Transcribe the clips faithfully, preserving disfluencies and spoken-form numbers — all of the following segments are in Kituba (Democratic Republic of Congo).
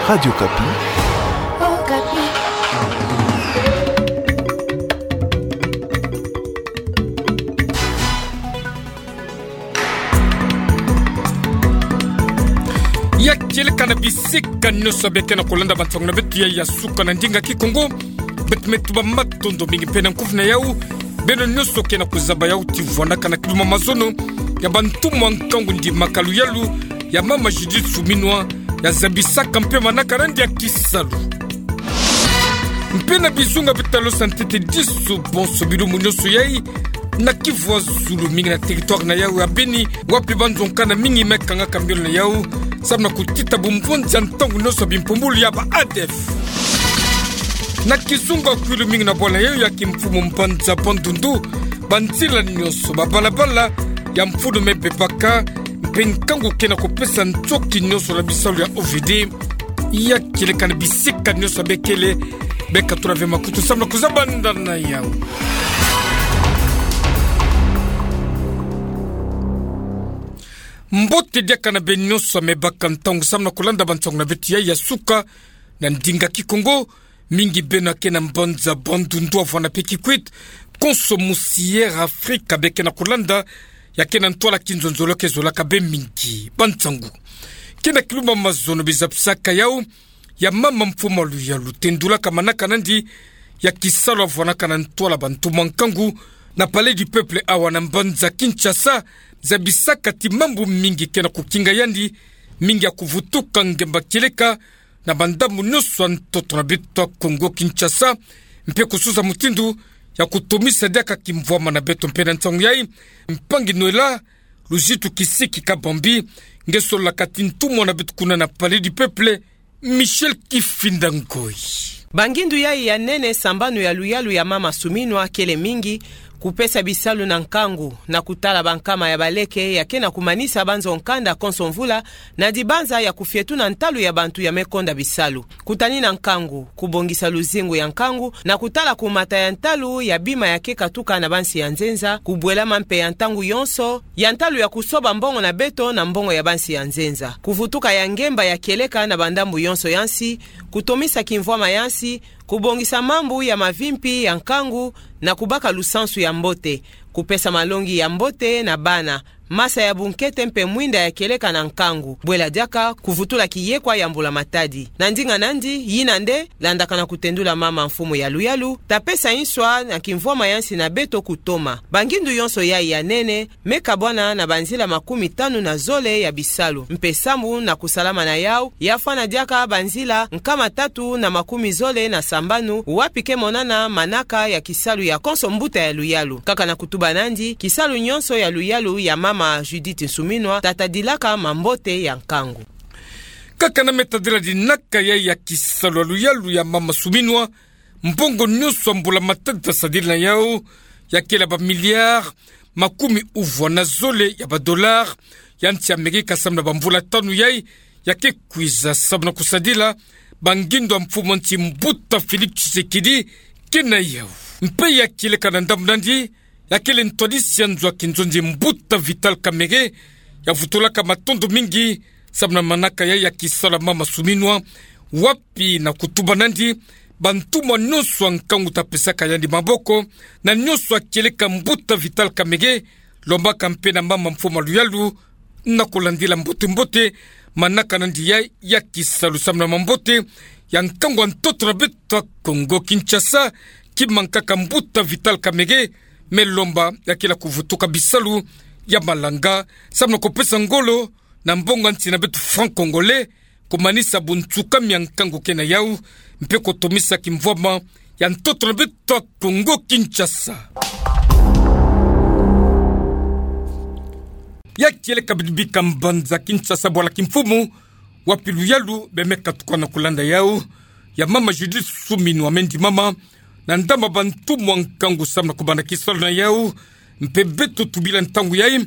Radio Okapi. Okapi. Ya kieleka na bisika nyonso beke na kolanda bansango na beto ya, ya suka na ndinga Kikongo. Beto me tuba matondo mingi mpe na nkufi na yau, beno nyonso ke na kozaba yau ti vwanaka na kiluma mazono ya bantumwa nkangu ndimaka luyalu ya mama Judith Suminwa, ya zabisaka mpe manaka nandi ya kisalu. Mpe na bizunga beto ta losa ntete disu bonso bilumbu nyonso yai, na Kivu ya zulu mingi na territoire na yau ya Beni, wapi banzo nkanda mingi me kangaka miole na yau, samu na kotita bumbonzi ya ntangu nyonso ya bimpumbulu ya ba A D F. Na kizunga kwilu mingi na bwala na yau ya kimfumu mbanza Bandundu, banzila nyonso, babalabala ya mfunu me bebaka, mpe nkangu ke na kopesa ntoki nyonso na bisalu ya O V D. Ya kieleka na bisika nyonso bekele, beka tula ve makutu samu na kozaba nda na yau. Mbote diaka na beno nyonso me baka ntangu samu na kolanda bansango na beto ya, ya suka na ndinga Kikongo. Mingi beno ke na mbanza Bandundu, Havana mpe Kikwit, konso musi Air Afrika beke na kolanda, ya ke na ntwala kinzonzolo ke zolaka bê mingi bansango. Ke na kiluma mazono bizapisaka yau ya mama mfumu a luyalu tendulaka manaka nandi ya kisalu, avwanaka na ntwala bantumwa nkangu na Palais du Peuple awa na mbanza Kinshasa, zabisaka ti mambu mingi ke na kokinga yandi, mingi ya kovutuka ngemba kieleka na bandambu nyonso ya ntoto na beto ya Kongo Kinshasa, mpe kososa mutindu ya kotomisa diaka kimvwama na beto. Mpe na nsangu yai, mpangi Noëlla Luzitu Kisiki Kabambi nge sololaka ti ntumwa na beto kuna na Palais du Peuple, Michel Kifinda Ngoi. Bangindu yai ya nene, sambanu ya luyalu ya mama Suminwa kele mingi: kopesa bisalu na nkangu, na kotala bankama ya baleke ya ke na komanisa banzo nkanda konso mvula, na dibanza ya kofietuna ntalu ya bantu ya me konda bisalu. Kotanina nkangu, kobongisa luzingu ya nkangu, na kotala komata ya ntalu ya bima ya ke katuka na bansi ya nzenza, kobwelama mpe ya ntangu yonso ya ntalu ya kosoba mbongo na beto na mbongo ya bansi ya nzenza. Kovutuka ya ngemba ya kieleka na bandambu yonso ya nsi, kotomisa kimvwama ya nsi, kobongisa mambu ya mavimpi ya nkangu, na kobaka lusansu ya mbote, kopesa malongi ya mbote na bana, masa ya bunkete mpe mwinda ya kieleka na nkangu, bwela diaka kovutula kiyekwa ya mbula matadi. Na ndinga nandi, yina nde landaka na kotendula mama mfumu ya luyalu, ta pesa nswa na kimvwama ya nsi na beto kotoma. Bangindu yonso yai ya nene me kabwana na banzila makumi tanu na zole ya bisalu, mpe sambu na kosalama na yau, ya fwana diaka banzila nkama tatu na makumi zole na sambanu, wapi ke monana manaka ya kisalu ya konso mbuta ya luyalu. Kaka na kotuba nandi, kisalu nyonso ya luyalu ya mama Judith Suminwa ta tadilaka mambote ya nkangu. Kaka na me tadila dinaka yai ya kisalu ya luyalu ya mama Suminwa, mbongo nyonso ya mbula matadi ta sadila na yau, ya kele ba milliards makumi uvwa na zole ya ba dollars ya nsi Amerika, samu na bamvula tanu yai ya ke kwiza, samu na kosadila bangindu ya mfumu a nsi mbuta Félix Tshisekedi ke na yau. Mpe ya kieleka na ndambu nandi, ya kele ntwadisi ya nzo ya kinzonzi mbuta Vital Kamerhe, ya vutulaka matondo mingi samu na manaka yai ya kisalu ya mama Suminwa, wapi na kotuba nandi, bantumwa nyonso ya nkangu ta pesaka yandi maboko, na nyonso ya kieleka mbuta Vital Kamerhe, lombaka mpe na mama mfumu a luyalu na kolandila mbote-mbote manaka nandi yai ya kisalu samu na mambote ya nkangu ya ntoto na beto ya Kongo Kinshasa, ki mankaka mbuta Vital Kamerhe me lomba ya kila kovutuka bisalu ya malanga, samu na kopesa ngolo na mbongo ya nsi na beto franc congolais, komanisa bunsukami ya nkangu ke na yau, mpe kotomisa kimvwama ya ntoto na beto ya Kongo Kinshasa. Ya kieleka bidibika mbanza Kinshasa bwala kimfumu, wapi luyalu bwe me katuka na kolanda yau ya mama Judith Suminwa me ndimama na ndambu ya bantumwa nkangu samu na kobanda kisalu na yau. Mpe beto tubila ntangu yai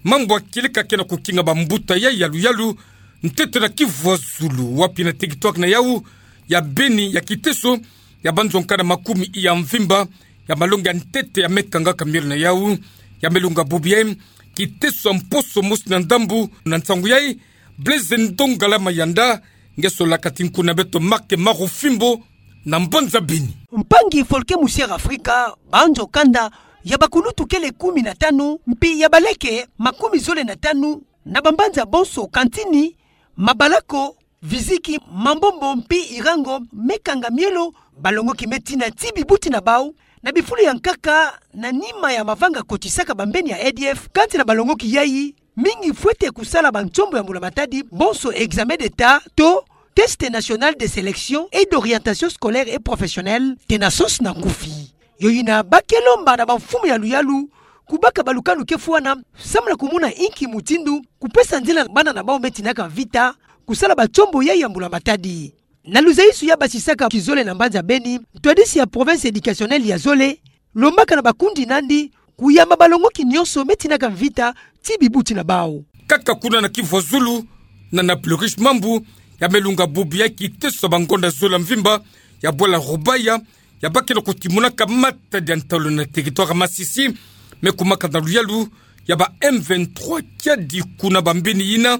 mambu ya kieleka ke na kokinga bambuta yai ya luyalu, ntete na Kivu ya zulu, wapi na territoire na yau ya Beni, ya kiteso ya banzo nkanda makumi ya mvimba ya malongi ya ntete ya me kangaka miole na yau, ya me longa bubu yai, kiteso ya mposo mosi na ndambu. Na nsangu yai, Blaise Ndongala Mayanda Ngeso la kati nkuna beto Mark Marufimbo na mbanza Beni. Mpangi Folke Musiera Afrika, banzo kanda ya bakulutu kele kumi na tanu, mpi ya baleke makumi zole na tanu, na bambanza bonso, Kantini, Mabalako, Viziki, Mambombo mpi Irango, me kanga mielo, balongoki me tina ti bibuti na bau, na bifulu ya nkaka, na nima ya mavanga kotisaka bambeni ya E D F, kati na balongoki yai, mingi fwete kusala bansombo ya mbula matadi, bonso examen d'État, to test national de sélection et d'orientation scolaire et professionnelle, TNASOS na nkufi. Yo yina bake lomba na bamfumu ya luyalu, kubaka balukanu ke fwana, samu na kumona inki mutindu kupesa nzila na bana na bau me tinaka mvita kusala bansombo yai ya mbula matadi. Na luzaisu ya basisaka kizole na mbanza Beni, ntwadisi ya province éducationnelle ya zole, lombaka na bakundi nandi kuyamba balongoki nyonso me tinaka mvita ti bibuti na bau. Kaka kuna na Kivu ya Zulu, na Napleurish Mambu, ya me lunga bubu ya kiteso ya bangonda zola mvimba, ya bwala Rubaya, ya bake na kutimonaka matadi ya ntalu na territoire Masisi, me kumaka na luyalu ya ba M vingt-trois kiadi kuna bambeni yina,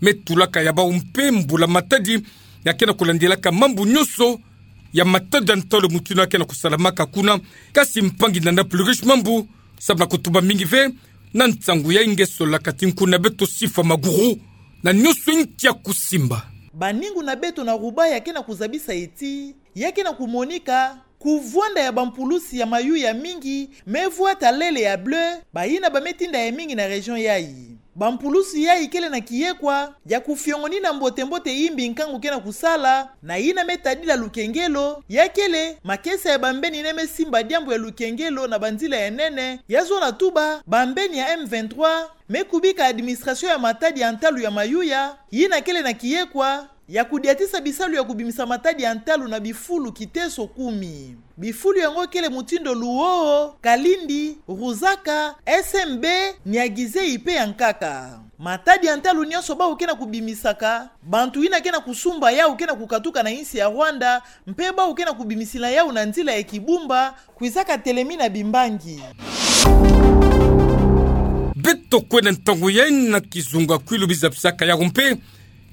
me tulaka ya bau mpe mbula matadi, ya ke na kulandilaka mambu nyonso ya matadi ya ntalu mutindu ya ke na kusalamaka kuna. Kasi mpangi na Napleurish Mambu, samu na kutuba mingi ve na nsangu yai, ngeso la kati nkuna beto Sifa Maguru, na nyonso inki ya kusimba. Baningu na beto na Rubaya ke na kuzabisa ti ya ke na kumonika kuvwanda ya bampulusi ya mayuya mingi, me vwata lele ya bleu, bayina ba me tinda ya mingi na région yai. Bampulusi yai kele na kiyekwa ya kufiongonina mbote-mbote imbi nkangu ke na kusala, na yina me tadila lukengelo, ya kele makesa ya bambeni yina me simba diambu ya lukengelo na banzila ya nene, ya zona tuba bambeni ya M vingt-trois me kubika administration ya matadi ya ntalu ya mayuya, yina kele na kiyekwa ya kudiatisa bisalu ya kubimisa matadi ya ntalu na bifulu kiteso kumi. Bifulu yango kele mutindu Luoho, Kalindi, Ruzaka, S M B, Niari-Zeyi mpe ya nkaka. Matadi ya ntalu nyonso bau ke na kubimisaka, bantu yina ke na kusumba yau ke na kukatuka na insi ya Rwanda, mpe bau ke na kubimisila yau na nzila ya Kibumba, kwizaka telemina bimbangi. Beto kwe na ntangu yai na kizunga kwilu biza bisaka yau mpe,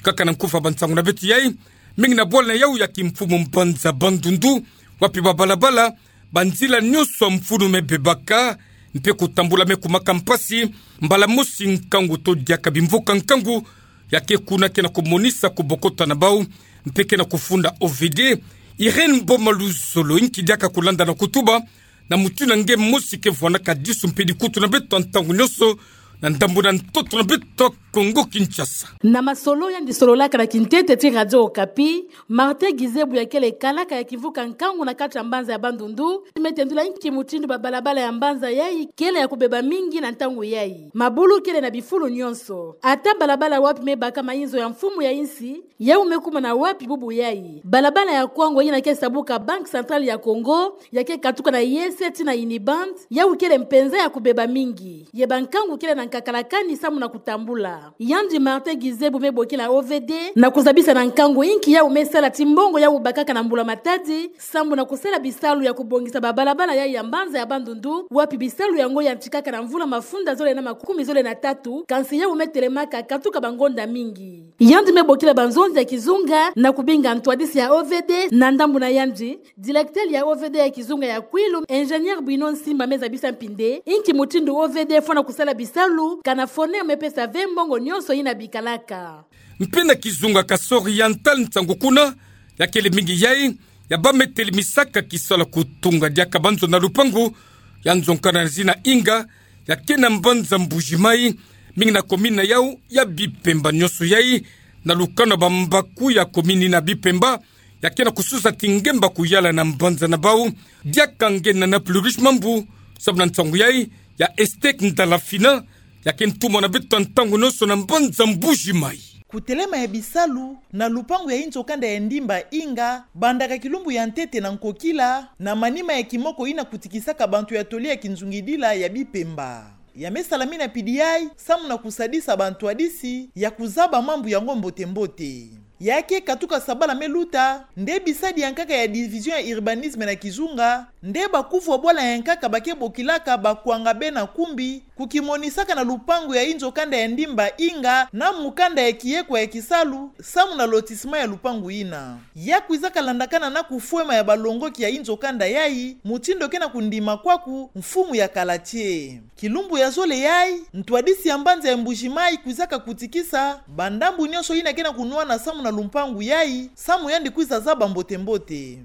kaka na nkufa bansangu na beto yai, mingi na bwala na yau ya kimfumu mbanza Bandundu, wapi babalabala, banzila nyonso ya mfunu me bebaka, mpe kutambula me kumaka mpasi, mbala mosi nkangu to diaka bimvuka nkangu, ya ke kuna ke na kumonisa kubokota na bau, mpe ke na kufunda O V D. Irène Boma Luzolo, inki diaka kulanda na kutuba, na mutindu nge mosi ke vwanaka disu mpe dikutu na beto ntangu nyonso, na ndambu na ntoto na beto Kongo Kinshasa. Na masolo yandi sololaka na kintete ti Radio Okapi, Martin Gizebu ya kele kalaka ya kimvuka nkangu na kati ya mbanza ya Bandundu, me tendula inki mutindu babalabala ya mbanza yai kele ya kubeba mingi na ntangu yai. Mabulu kele na bifulu nyonso. Ata balabala wapi me baka mayinzo ya mfumu ya insi, yau me kuma na wapi bubu yai. Balabala ya Kwango yina ke sabuka Banque Centrale ya Congo, ya ke katuka na Yese tii na Unibank, yau kele mpenza ya kubeba mingi. Ye bankangu kele na nkakalakani samu na kutambula. Yandi Martin Gizebu me bokila O V D na kuzabisa na nkangu inki yau me sala ti mbongo yau bakaka na mbula matadi, samu na kusala bisalu ya kubongisa babalabala yai ya mbanza ya Bandundu, wapi bisalu yango yantikaka na mvula mafunda zole na makumi zole na tatu, kansi yau me telemaka katuka bangonda mingi. Yandi me bokila banzonzi ya kizunga na kubinga ntwadisi ya O V D na ndambu na yandi, directeur ya O V D ya kizunga ya Kwilu, ingénieur Bruno Nsimba me zabisa mpinde inki mutindu O V D fwana kusala bisalu, kana fwana me pesa ve mbongo nyonso yina bikalaka. Mpe na kizunga Kasai Oriental nsangu kuna ya kele mingi yai, ya ba me telemisaka kisalu ya kutunga diaka banzo na lupangu, ya nzo kana na zina Inga, ya ke na mbanza Mbuji-Mayi, mingi na commune na yau ya Bipemba nyonso yai, na lukanu ya bambaku ya commune na Bipemba, ya ke na kususa ti ngemba kuyala na mbanza na bau, diaka nge na Napleurish Mambu, samu na nsangu yai ya Estek Ndalafina, ya ke ntumwa na beto ntangu nyonso na mbanza Mbuji-Mayi. Kutelema ya bisalu na lupangu ya inzo kanda ya ndimba Inga, bandaka kilumbu ya ntete na nkokila, na manima ya kimoko yina kutikisaka bantu ya toli ya kinzungidila ya Bipemba. Ya me salamina mpidi yai, samu na kusadisa bantwadisi ya kuzaba mambu yango mbote-mbote. Ya ke katuka sabala me luta, nde bisadi ya nkaka ya division ya urbanisme na kizunga, nde bakuvwa bwala ya nkaka ba ke bokilaka Bakwanga bena Kumbi, ku kimonisaka na lupangu ya inzo kanda ya Ndimba Inga na mu kanda ya Kiekwa ya Kisalu, samu na lotissement ya lupangu yina. Ya kwizaka landakana na kufwema ya balongoki ya inzo kanda yayi, mutindu ke na kundima kwaku mfumu ya kala tie. Kilumbu ya zole yayi, ntwadisi ya mbanza ya Mbuji-Mayi kwizaka kutikisa bandambu nyonso yina ke na kunwana samu na lupangu yayi, samu yandi kwiza zaba mbote-mbote.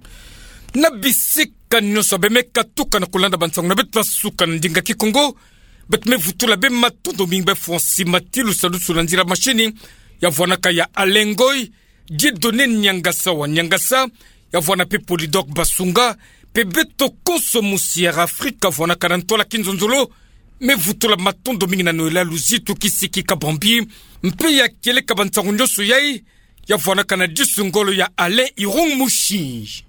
Na bisika nyonso beno me katuka na kulanda bansangu na beto ya suka na ndinga Kikongo, beto me vutula beno matondo mingi beno fweti mati lusadusu na nzila machine, ya vwanaka ya Alain Ngoy, Dieudonné Niangasa wa Niangasa, ya vwana pe Polydor Basunga, pe beto konso musi Air Afrique, ya vwanaka na ntwala kinzonzolo, me vutula matondo mingi na Noëlla Luzitu Kisiki Kabambi, mpe ya kieleka bansangu nyonso yayi, ya vwanaka na disu ngolo ya Alain Irung Mushi.